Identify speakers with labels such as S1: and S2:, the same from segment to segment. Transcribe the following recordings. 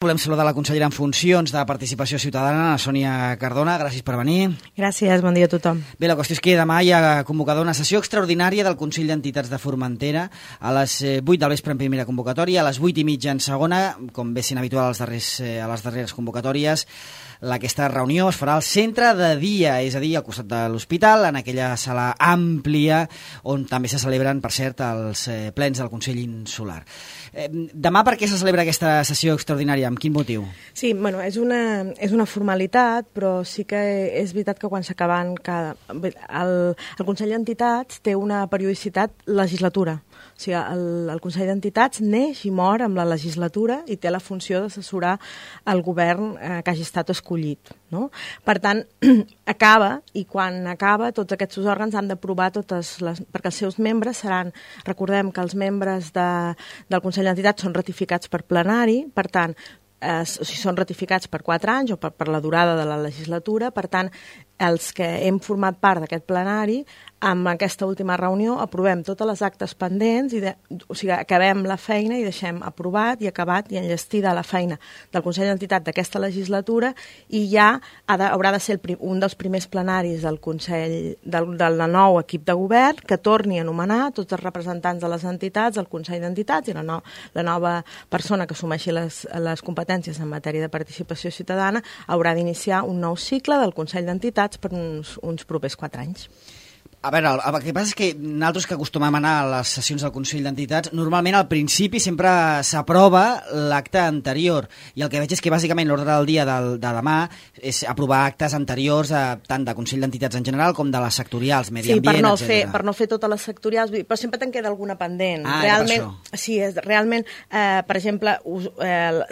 S1: Volem saludar la consellera en funcions de Participació Ciutadana, la Sònia Cardona. Gràcies per venir.
S2: Gràcies, bon dia a tothom.
S1: Bé, la qüestió és que demà hi ha convocada una sessió extraordinària del Consell d'Entitats de Formentera a les 8 del vespre en primera convocatòria, a les 8:30 en segona, com bé sent habitual a les darreres convocatòries. Aquesta reunió es farà al centre de dia, és a dir, al costat de l'hospital, en aquella sala àmplia on també se celebren, per cert, els plens del Consell Insular. Demà per què se celebra aquesta sessió extraordinària? Amb quin motiu?
S2: Sí, bueno, és una formalitat, però sí que és veritat que quan s'acaben el Consell d'Entitats té una periodicitat legislatura. O sigui, el Consell d'Entitats neix i mor amb la legislatura i té la funció d'assessorar el govern que hagi estat escollit, no? Per tant, acaba, i quan acaba tots aquests òrgans han d'aprovar perquè els seus membres seran, recordem que els membres del Consell d'Entitats són ratificats per plenari, per tant, són ratificats per 4 anys o per la durada de la legislatura, per tant, els que hem format part d'aquest plenari, amb aquesta última reunió aprovem totes les actes pendents, o sigui, acabem la feina i deixem aprovat i acabat i enllestida la feina del Consell d'Entitat d'aquesta legislatura i ja haurà de ser un dels primers plenaris del Consell del nou equip de govern que torni a nomenar tots els representants de les entitats, el Consell d'Entitats i la nova persona que assumeixi les competències en matèria de participació ciutadana haurà d'iniciar un nou cicle del Consell d'Entitats per uns propers 4 anys.
S1: A veure, el que passa és que nosaltres que acostumem a anar a les sessions del Consell d'Entitats, normalment al principi sempre s'aprova l'acte anterior, i el que veig és que bàsicament l'ordre del dia de demà és aprovar actes anteriors tant de Consell d'Entitats en general com de les sectorials, medi ambient, etc.
S2: Per no fer totes les sectorials, però sempre te'n queda alguna pendent.
S1: Realment,
S2: sí, realment, per exemple,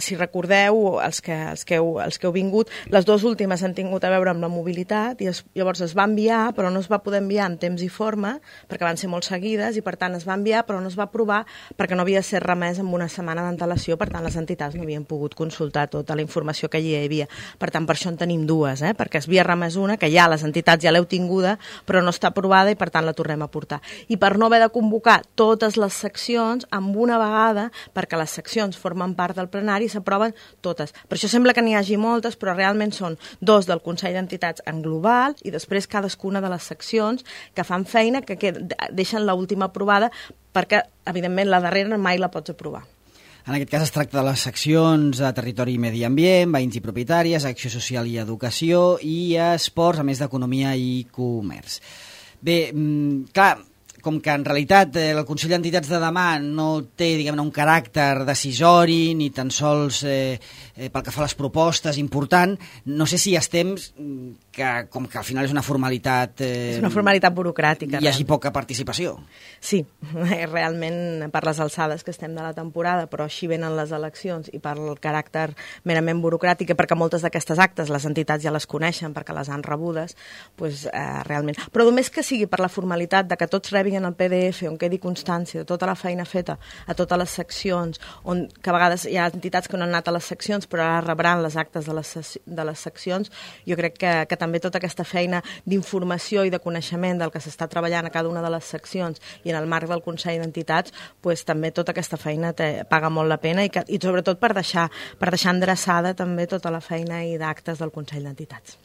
S2: si recordeu, els que heu vingut, les dues últimes han tingut a veure amb la mobilitat, i llavors es va enviar, però no es va poder enviar temps i forma, perquè van ser molt seguides i per tant es va enviar però no es va aprovar perquè no havia de ser remès amb una setmana d'antelació, per tant les entitats no havien pogut consultar tota la informació que hi havia. Per tant, per això en tenim dues, perquè es havia remès una, que ja les entitats ja l'heu tinguda, però no està aprovada i per tant la tornem a portar. I per no haver de convocar totes les seccions amb una vegada, perquè les seccions formen part del plenari i s'aproven totes. Per això sembla que n'hi hagi moltes, però realment són 2 del Consell d'Entitats en global i després cadascuna de les seccions que fan feina, que deixen l'última aprovada, perquè, evidentment, la darrera mai la pots aprovar.
S1: En aquest cas es tracta de les seccions de territori i medi ambient, veïns i propietàries, acció social i educació, i esports, a més d'economia i comerç. Bé, clar, com que en realitat el Consell d'Entitats de demà no té, diguem-ne, un caràcter decisori ni tan sols pel que fa a les propostes important, no sé si estem que com que al final és una formalitat...
S2: És una formalitat burocràtica.
S1: Hi hagi poca participació.
S2: Sí, realment per les alçades que estem de la temporada, però així venen les eleccions i per el caràcter merament burocràtic, perquè moltes d'aquestes actes les entitats ja les coneixen perquè les han rebudes, doncs realment... Però només que sigui per la formalitat de que tots rebin el PDF on quedi constància de tota la feina feta a totes les seccions, que a vegades hi ha entitats que no han anat a les seccions però ara rebran les actes de les seccions, jo crec que també tota aquesta feina d'informació i de coneixement del que s'està treballant a cada una de les seccions i en el marc del Consell d'Entitats, doncs també tota aquesta feina paga molt la pena i sobretot per deixar endreçada també tota la feina i d'actes del Consell d'Entitats.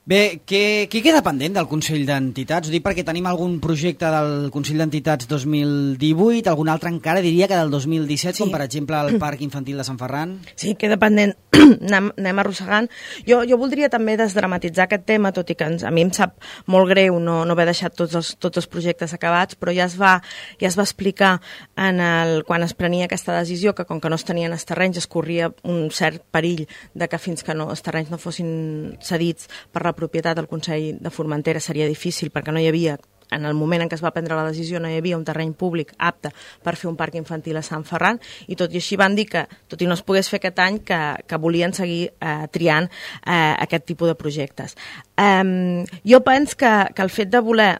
S1: Bé, què queda pendent del Consell d'Entitats? Ho dic perquè tenim algun projecte del Consell d'Entitats 2018, algun altre encara, diria que del 2017, sí. Com per exemple el Parc Infantil de Sant Ferran.
S2: Sí, queda pendent. Anem arrossegant. Jo voldria també desdramatitzar aquest tema, tot i que a mi em sap molt greu no haver deixat tots els projectes acabats, però ja es va explicar quan es prenia aquesta decisió que com que no es tenien els terrenys es corria un cert perill de que fins que els terrenys no fossin cedits per la propietat del Consell de Formentera seria difícil perquè no hi havia, en el moment en què es va prendre la decisió, no hi havia un terreny públic apte per fer un parc infantil a Sant Ferran i tot i així van dir que, tot i no es pogués fer aquest any, que volien seguir triant aquest tipus de projectes. Jo penso que el fet de voler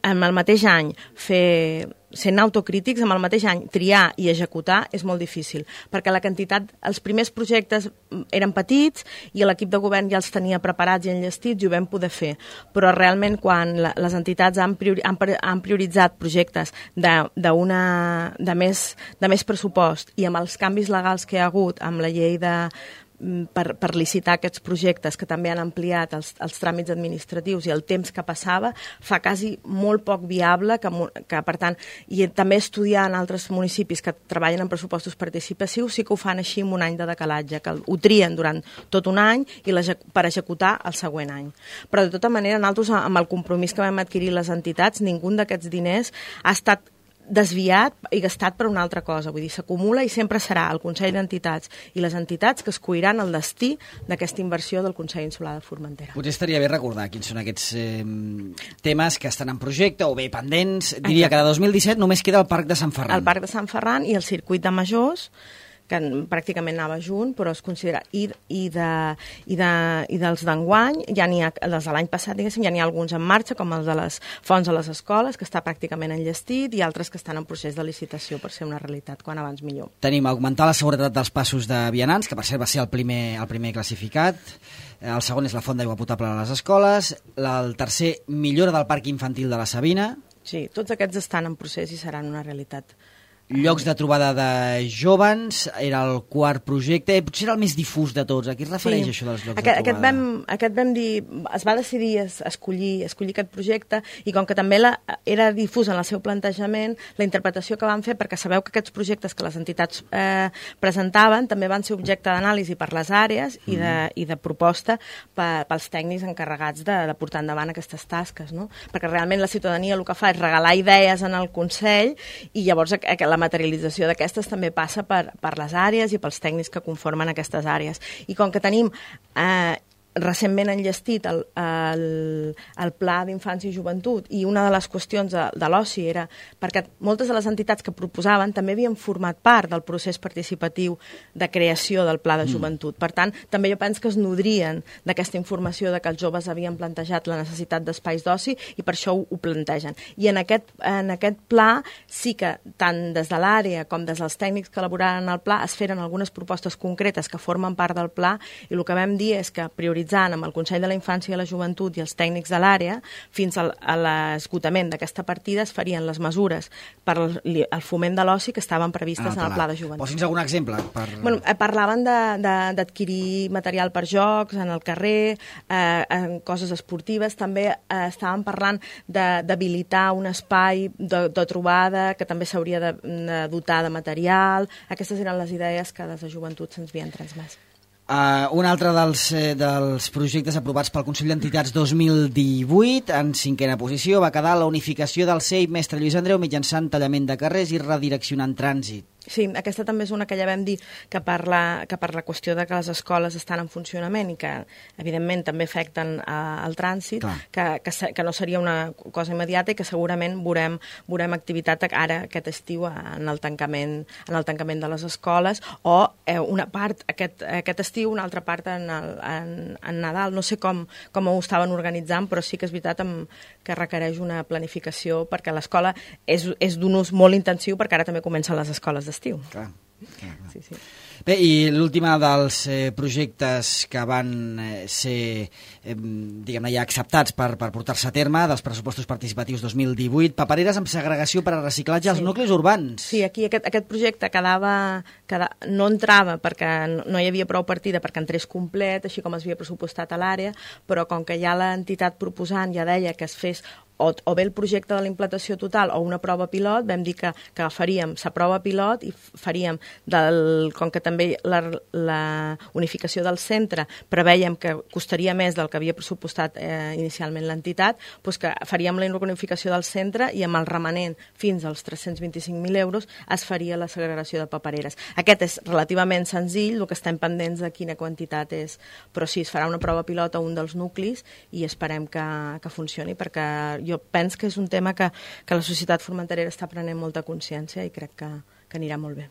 S2: en el mateix any fer sent autocrítics, amb el mateix any triar i executar és molt difícil, perquè la quantitat, els primers projectes eren petits i l'equip de govern ja els tenia preparats i enllestits i ho vam poder fer, però realment quan les entitats han prioritzat projectes de més pressupost i amb els canvis legals que hi ha hagut amb la llei per licitar aquests projectes que també han ampliat els tràmits administratius i el temps que passava, fa quasi molt poc viable que per tant, i també estudiar en altres municipis que treballen en pressupostos participatius sí que ho fan així amb un any de decalatge, que ho trien durant tot un any i per executar el següent any. Però de tota manera, nosaltres amb el compromís que vam adquirir les entitats, ningú d'aquests diners ha estat desviat i gastat per una altra cosa. Vull dir, s'acumula i sempre serà el Consell d'Entitats i les entitats que escolliran el destí d'aquesta inversió del Consell Insular de Formentera.
S1: Potser estaria bé recordar quins són aquests temes que estan en projecte o bé pendents. Diria que de 2017 només queda el Parc de Sant Ferran.
S2: El Parc de Sant Ferran i el Circuit de Majors, que pràcticament anava junt, però es considera... I dels d'enguany, ja n'hi ha, dels de l'any passat, diguéssim, ja n'hi ha alguns en marxa, com els de les fonts a les escoles, que està pràcticament enllestit, i altres que estan en procés de licitació per ser una realitat, quan abans millor.
S1: Tenim augmentar la seguretat dels passos de vianants, que per cert va ser el primer classificat. El segon és la font d'aigua potable a les escoles. El tercer, millora del parc infantil de la Sabina.
S2: Sí, tots aquests estan en procés i seran una realitat.
S1: Llocs de trobada de jóvens, era el quart projecte, potser era el més difús de tots. A què es refereix això dels llocs de trobada?
S2: Aquest vam dir, es va decidir escollir aquest projecte i com que també era difús en el seu plantejament, la interpretació que van fer, perquè sabeu que aquests projectes que les entitats presentaven també van ser objecte d'anàlisi per les àrees i de proposta pels tècnics encarregats de portar endavant aquestes tasques, no? Perquè realment la ciutadania el que fa és regalar idees en el Consell i llavors la materialització d'aquestes també passa per les àrees i pels tècnics que conformen aquestes àrees. I com que tenim recentment enllestit el Pla d'Infància i Joventut i una de les qüestions de l'oci era perquè moltes de les entitats que proposaven també havien format part del procés participatiu de creació del Pla de Joventut. Per tant, també jo penso que es nodrien d'aquesta informació de que els joves havien plantejat la necessitat d'espais d'oci i per això ho plantegen. I en aquest pla sí que tant des de l'àrea com des dels tècnics que elaboraren el pla es feren algunes propostes concretes que formen part del pla i el que vam dir és que prioritzant amb el Consell de la Infància i la Joventut i els tècnics de l'àrea, fins a l'esgotament d'aquesta partida es farien les mesures per al foment de l'oci que estaven previstes en el Pla de Joventut.
S1: Posi'ns algun exemple.
S2: Parlaven d'adquirir material per jocs en el carrer, en coses esportives, també estaven parlant d'habilitar un espai de trobada que també s'hauria de dotar de material. Aquestes eren les idees que des de Joventut se'ns havien transmès.
S1: Un altre dels projectes aprovats pel Consell d'Entitats 2018, en 5a posició, va quedar la unificació del CEIP Mestre Lluís Andreu mitjançant tallament de carrers i redireccionant trànsit.
S2: Sí, aquesta també és una que ja vam dir que per la qüestió de que les escoles estan en funcionament i que, evidentment, també afecten el trànsit, que no seria una cosa immediata i que segurament veurem activitat ara aquest estiu en el tancament de les escoles o una part aquest estiu, una altra part en Nadal. No sé com ho estaven organitzant, però sí que és veritat que requereix una planificació perquè l'escola és d'un ús molt intensiu perquè ara també comencen les escoles d'estiu.
S1: Clar.
S2: Sí.
S1: Bé, i l'última dels projectes que van ser diguem-ne ja acceptats per portar-se a terme dels pressupostos participatius 2018, papereres amb segregació per a reciclatge als nuclis urbans.
S2: Sí, aquí aquest projecte no entrava perquè no hi havia prou partida perquè entrés complet, així com es havia pressupostat a l'àrea, però com que ja l'entitat proposant ja deia que es fes o bé el projecte de la implantació total o una prova pilot, vam dir que faríem la prova pilot i faríem, com que també la unificació del centre preveiem que costaria més del que havia pressupostat inicialment l'entitat, doncs que faríem la unificació del centre i amb el remanent fins als 325.000 euros es faria la segregació de papereres. Aquest és relativament senzill, el que estem pendents de quina quantitat és, però sí, es farà una prova pilot a un dels nuclis i esperem que funcioni perquè jo penso que és un tema que la societat formenterera està prenent molta consciència i crec que anirà molt bé.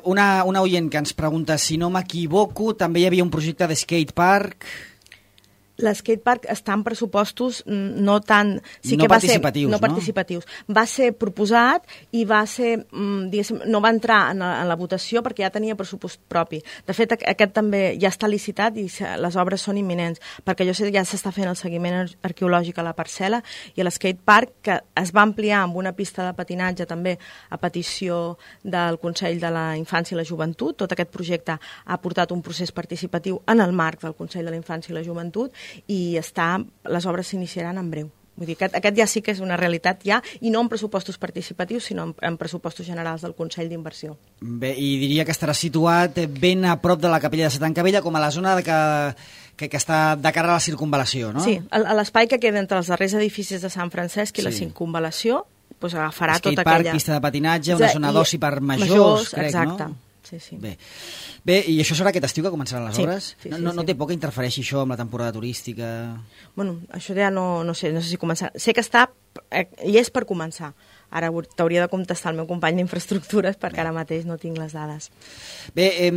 S1: Una oient que ens pregunta si no m'equivoco, també hi havia un projecte de skatepark.
S2: L'escatepark està en pressupostos no tan...
S1: No participatius, no?
S2: Participatius. Va ser proposat i va ser, diguéssim, no va entrar en la votació perquè ja tenia pressupost propi. De fet, aquest també ja està licitat i les obres són imminents, perquè jo sé que ja s'està fent el seguiment arqueològic a la parcel·la i a l'escatepark, que es va ampliar amb una pista de patinatge també a petició del Consell de la Infància i la Joventut. Tot aquest projecte ha portat un procés participatiu en el marc del Consell de la Infància i la Joventut i les obres s'iniciaran en breu. Vull dir, aquest ja sí que és una realitat ja, i no en pressupostos participatius, sinó en pressupostos generals del Consell d'Inversió.
S1: Bé, i diria que estarà situat ben a prop de la capella de Santa Encavella, com a la zona que està de cara a la circunvalació, no?
S2: Sí, a l'espai que queda entre els darrers edificis de Sant Francesc i la circunvalació, doncs agafarà tota aquella...
S1: Skatepark, pista de patinatge, una zona d'oci per majors, crec,
S2: exacte.
S1: No?
S2: Sí.
S1: Bé, i això serà aquest estiu que començaran les obres?
S2: Sí.
S1: No té por que interfereixi això amb la temporada turística?
S2: Bueno, això ja no sé si començarà. Sé que està, i és per començar. Ara t'hauria de contestar el meu company d'Infraestructures perquè ara mateix no tinc les dades.
S1: Bé,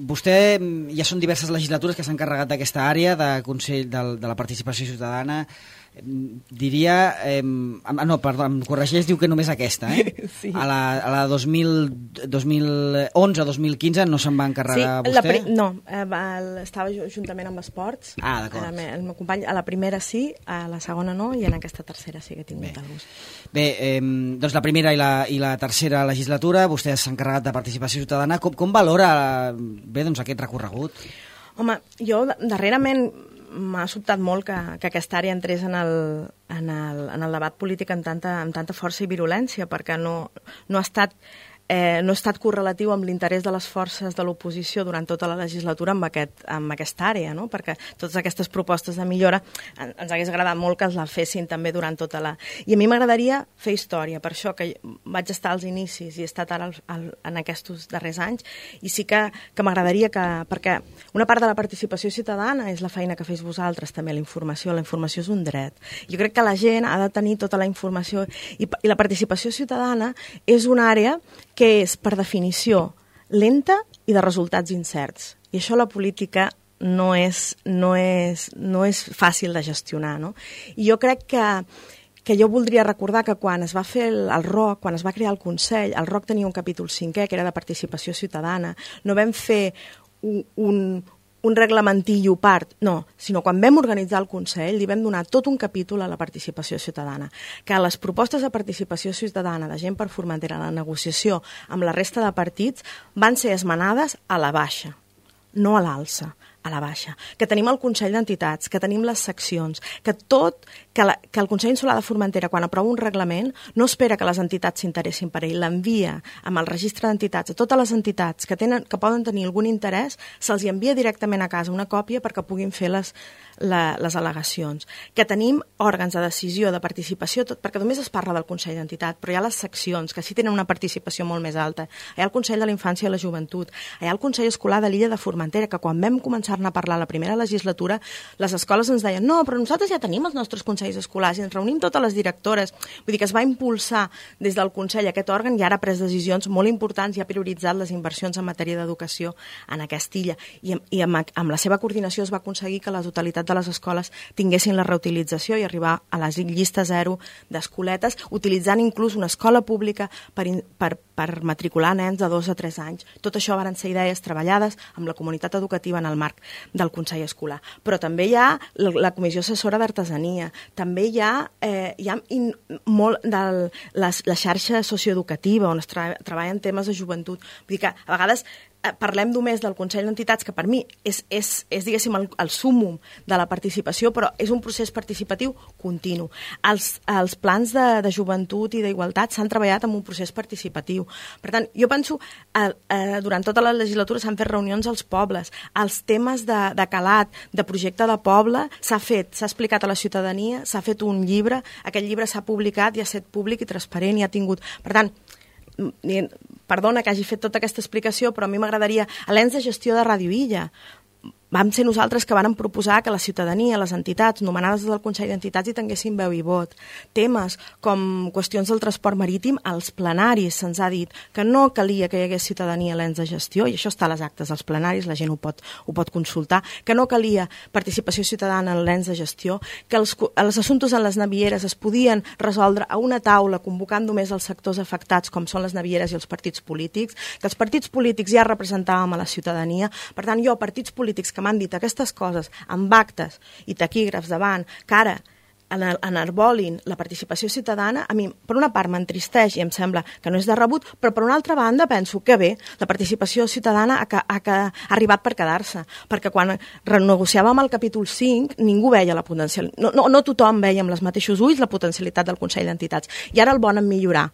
S1: vostè, ja són diverses legislatures que s'han encarregat d'aquesta àrea de Consell de la Participació Ciutadana. Diria... no, perdó, em corregeix, diu que només aquesta, eh?
S2: Sí.
S1: A la 2011-2015 no se'n va encarregar vostè?
S2: No, estava juntament amb Esports.
S1: Ah, d'acord.
S2: El meu company, a la primera sí, a la segona no, i en aquesta tercera sí que he tingut el gust.
S1: Bé, doncs la primera i la tercera legislatura, vostè s'ha encarregat de Participació Ciutadana. Com valora doncs, aquest recorregut?
S2: Home, jo darrerament m'ha sobtat molt que aquesta àrea entrés en el debat polític amb tanta força i virulència, perquè no ha estat correlatiu amb l'interès de les forces de l'oposició durant tota la legislatura amb aquesta àrea, no? Perquè totes aquestes propostes de millora ens hagués agradat molt que els la fessin també durant tota la... I a mi m'agradaria fer història, per això que vaig estar als inicis i he estat ara en aquests darrers anys, i sí que m'agradaria perquè una part de la participació ciutadana és la feina que fes vosaltres també, la informació és un dret. Jo crec que la gent ha de tenir tota la informació i la participació ciutadana és una àrea que és, per definició, lenta i de resultats incerts. I això la política no és fàcil de gestionar, no? I jo crec que jo voldria recordar que quan es va fer el ROC, quan es va crear el Consell, el ROC tenia un capítol 5è, que era de participació ciutadana. No vam fer un reglamentillo part, no, sinó quan vam organitzar el Consell li vam donar tot un capítol a la participació ciutadana, que les propostes de participació ciutadana de Gent per Formentera a la negociació amb la resta de partits van ser esmenades a la baixa, no a l'alça, a la baixa, que tenim el Consell d'Entitats, que tenim les seccions, que el Consell Insular de Formentera, quan aprova un reglament, no espera que les entitats s'interessin per ell, l'envia amb el registre d'entitats a totes les entitats que poden tenir algun interès, se'ls envia directament a casa una còpia perquè puguin fer les al·legacions. Que tenim òrgans de decisió, de participació, perquè només es parla del Consell d'Entitat, però hi ha les seccions, que sí tenen una participació molt més alta. Hi ha el Consell de la Infància i la Joventut, hi ha el Consell Escolar de l'Illa de Formentera, que quan vam començar-ne a parlar la primera legislatura, les escoles ens deien no, però nosaltres ja tenim els nostres consells escolars i ens reunim totes les directores. Vull dir que es va impulsar des del Consell aquest òrgan i ara ha pres decisions molt importants i ha prioritzat les inversions en matèria d'educació en aquesta illa. I amb la seva coordinació es va aconseguir que la totalitat de les escoles tinguessin la reutilització i arribar a la llista zero d'escoletes, utilitzant inclús una escola pública per matricular nens de 2 a 3 anys. Tot això van ser idees treballades amb la comunitat educativa en el marc del Consell Escolar. Però també hi ha la Comissió Assessora d'Artesania, també hi ha molt de la xarxa socioeducativa on es treballa en temes de joventut. Vull dir que a vegades parlem només del Consell d'Entitats, que per mi és diguéssim, el súmmum de la participació, però és un procés participatiu continu. Els plans de joventut i d'igualtat s'han treballat en un procés participatiu. Per tant, jo penso, durant tota la legislatura s'han fet reunions als pobles, els temes de calat, de projecte de poble, s'ha explicat a la ciutadania, s'ha fet un llibre, aquest llibre s'ha publicat i ha estat públic i transparent i ha tingut... Per tant, perdona que hagi fet tota aquesta explicació, però a mi m'agradaria, a l'ens de gestió de Ràdio Illa, vam ser nosaltres que vàrem proposar que la ciutadania, les entitats nomenades del Consell d'Entitats hi tinguessin veu i vot. Temes com qüestions del transport marítim, als plenaris se'ns ha dit que no calia que hi hagués ciutadania a l'ens de gestió, i això està a les actes dels plenaris, la gent ho pot consultar, que no calia participació ciutadana en l'ens de gestió, que els assumptes en les navieres es podien resoldre a una taula convocant només els sectors afectats, com són les navieres i els partits polítics, que els partits polítics ja representàvem a la ciutadania. Per tant, partits polítics que m'han dit aquestes coses amb actes i taquígrafs davant, que ara enarbolin la participació ciutadana, a mi, per una part, m'entristeix i em sembla que no és de rebut, però per una altra banda penso que bé, la participació ciutadana ha arribat per quedar-se, perquè quan renegociàvem el capítol 5 ningú veia la potencialitat, no tothom veia amb els mateixos ulls la potencialitat del Consell d'Entitats, i ara el volen millorar,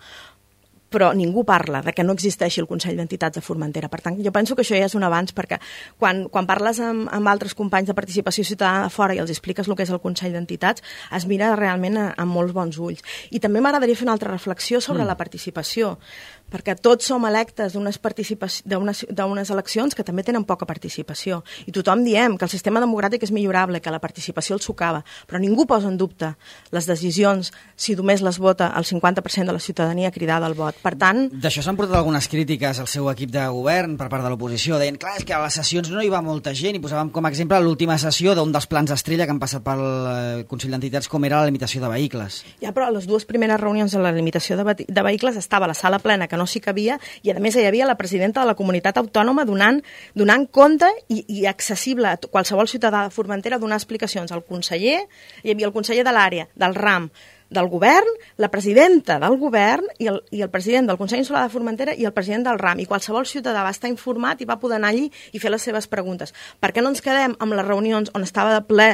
S2: però ningú parla de que no existeixi el Consell d'Entitats de Formentera. Per tant, jo penso que això ja és un avanç, perquè quan parles amb altres companys de participació ciutadana de fora i els expliques el que és el Consell d'Entitats, es mira realment amb molts bons ulls. I també m'agradaria fer una altra reflexió sobre la participació, perquè tots som electes d'unes eleccions que també tenen poca participació. I tothom diem que el sistema democràtic és millorable, que la participació el socava, però ningú posa en dubte les decisions si només les vota el 50% de la ciutadania cridada al vot. Per tant...
S1: D'això s'han portat algunes crítiques al seu equip de govern per part de l'oposició. Deien, clar, és que a les sessions no hi va molta gent, i posàvem com a exemple l'última sessió d'un dels plans estrella que han passat pel Consell d'Entitats, com era la limitació de vehicles.
S2: Ja, però a les dues primeres reunions de la limitació de vehicles estava la sala plena, que no s'hi cabia, i a més hi havia la presidenta de la comunitat autònoma donant compte i accessible a qualsevol ciutadà de Formentera, donar explicacions al conseller, hi havia el conseller de l'àrea, del RAM, del govern, la presidenta del govern i el president del Consell Insular de Formentera i el president del RAM, i qualsevol ciutadà va estar informat i va poder anar allí i fer les seves preguntes. Per què no ens quedem amb les reunions on estava de ple,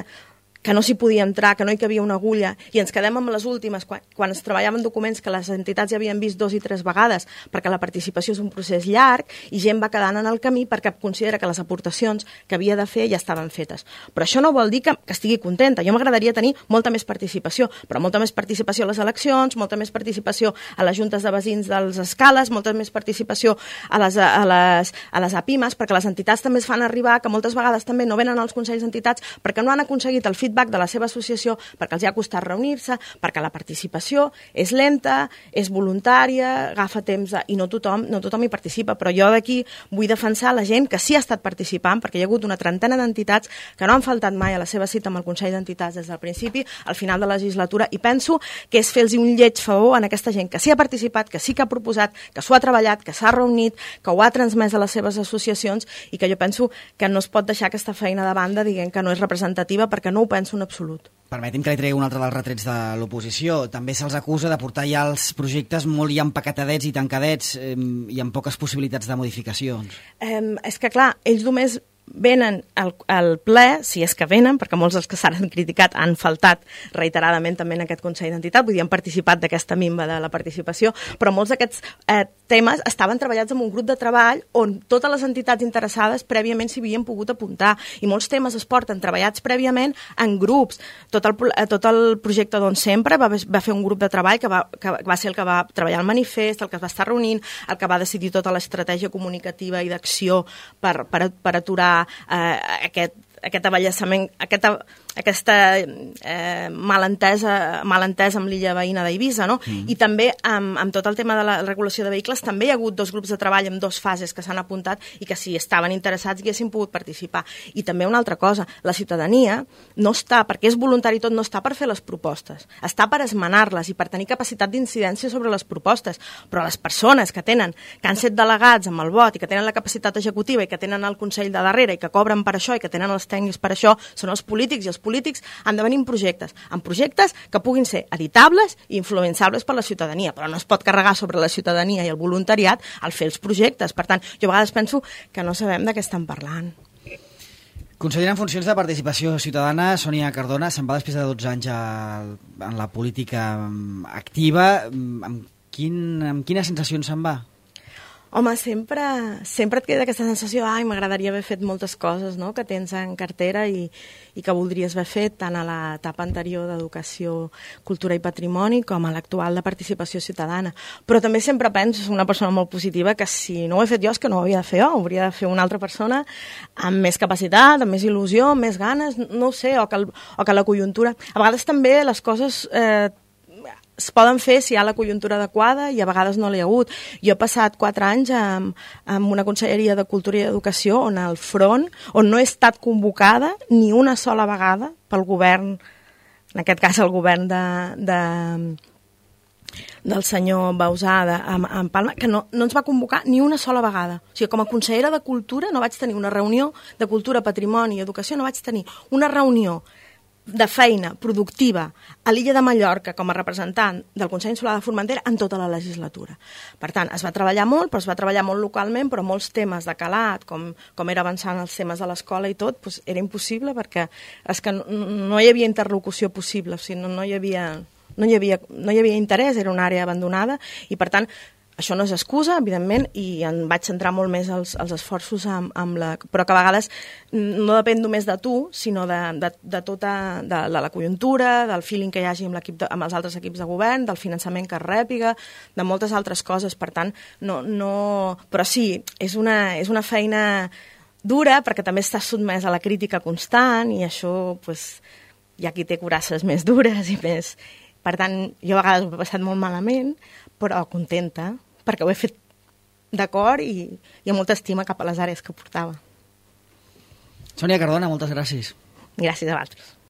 S2: que no s'hi podia entrar, que no hi cabia una agulla, i ens quedem amb les últimes, quan es treballaven documents que les entitats ja havien vist 2 i 3 vegades, perquè la participació és un procés llarg, i gent va quedant en el camí perquè considera que les aportacions que havia de fer ja estaven fetes. Però això no vol dir que estigui contenta. Jo m'agradaria tenir molta més participació, però molta més participació a les eleccions, molta més participació a les juntes de veïns dels escales, molta més participació a les APIMES, perquè les entitats també es fan arribar que moltes vegades també no venen als consells d'entitats perquè no han aconseguit el feedback de la seva associació, perquè els ha costat reunir-se, perquè la participació és lenta, és voluntària, agafa temps i no tothom hi participa. Però jo d'aquí vull defensar la gent que sí ha estat participant, perquè hi ha hagut una trentena d'entitats que no han faltat mai a la seva cita amb el Consell d'Entitats des del principi, al final de la legislatura, i penso que és fer-los un lleig favor a aquesta gent que sí ha participat, que sí que ha proposat, que s'ho ha treballat, que s'ha reunit, que ho ha transmès a les seves associacions, i que jo penso que no es pot deixar aquesta feina de banda dient que no és representativa, perquè no ho penso en absolut.
S1: Permeti'm que li tregui un altre dels retrets de l'oposició. També se'ls acusa de portar ja els projectes molt ja empaquetadets i tancadets i amb poques possibilitats de modificacions.
S2: És que, clar, ells només venen al ple, si és que venen, perquè molts dels que s'han criticat han faltat reiteradament també en aquest Consell d'Entitat, vull dir, han participat d'aquesta minva de la participació, però molts d'aquests temes estaven treballats en un grup de treball on totes les entitats interessades prèviament s'hi havien pogut apuntar, i molts temes es porten treballats prèviament en grups. Tot el projecte d'On Sempre va fer un grup de treball que va ser el que va treballar el manifest, el que es va estar reunint, el que va decidir tota l'estratègia comunicativa i d'acció per aturar aquest aballassament, aquesta malentesa amb l'illa veïna d'Eivissa, no? I també amb tot el tema de la regulació de vehicles també hi ha hagut 2 grups de treball amb 2 fases que s'han apuntat i que si estaven interessats haguessin pogut participar. I també una altra cosa, la ciutadania no està, perquè és voluntari tot, no està per fer les propostes, està per esmenar-les i per tenir capacitat d'incidència sobre les propostes, però les persones que han set delegats amb el vot i que tenen la capacitat executiva i que tenen el Consell de darrere i que cobren per això i que tenen els tècnics per això són els polítics, i els polítics han de venir amb projectes que puguin ser editables i influenciables per la ciutadania, però no es pot carregar sobre la ciutadania i el voluntariat al fer els projectes. Per tant, jo a vegades penso que no sabem de què estan parlant.
S1: Consellera en funcions de participació ciutadana, Sònia Cardona, se'n va després de 12 anys en la política activa. Amb quines sensacions se'n va?
S2: Home, sempre et queda aquesta sensació m'agradaria haver fet moltes coses, no?, que tens en cartera i que voldries haver fet tant a l'etapa anterior d'educació, cultura i patrimoni com a l'actual de participació ciutadana. Però també sempre penso, soc una persona molt positiva, que si no ho he fet jo és que no ho havia de fer jo, ho hauria de fer una altra persona amb més capacitat, amb més il·lusió, amb més ganes, no ho sé, o que la conjuntura... A vegades també les coses... es poden fer si hi ha la conjuntura adequada i a vegades no l'hi ha hagut. Jo he passat 4 anys amb una conselleria de Cultura i Educació on al front, on no he estat convocada ni una sola vegada pel govern, en aquest cas el govern del senyor Bauzà en Palma, que no ens va convocar ni una sola vegada. O sigui, com a consellera de Cultura no vaig tenir una reunió de Cultura, Patrimoni i Educació, no vaig tenir una reunió de feina productiva a l'illa de Mallorca com a representant del Consell Insular de Formentera en tota la legislatura. Per tant, es va treballar molt, però es va treballar molt localment, però molts temes de calat, com era avançant els temes de l'escola i tot, doncs era impossible perquè és que no hi havia interlocució possible, o sigui, no hi havia interès, era una àrea abandonada i, per tant, això no és excusa, evidentment, i em vaig centrar molt més els esforços però que a vegades no depèn només de tu, sinó de tota la conjuntura, del feeling que hi hagi amb els altres equips de govern, del finançament que es rèpiga, de moltes altres coses. Per tant, però sí, és una feina dura perquè també estàs sotmès a la crítica constant i això, doncs, hi ha qui té curasses més dures i més... Per tant, jo a vegades ho he passat molt malament, però contenta, perquè ho he fet d'acord i amb molta estima cap a les àrees que portava.
S1: Sònia Cardona, moltes gràcies.
S2: Gràcies a vosaltres.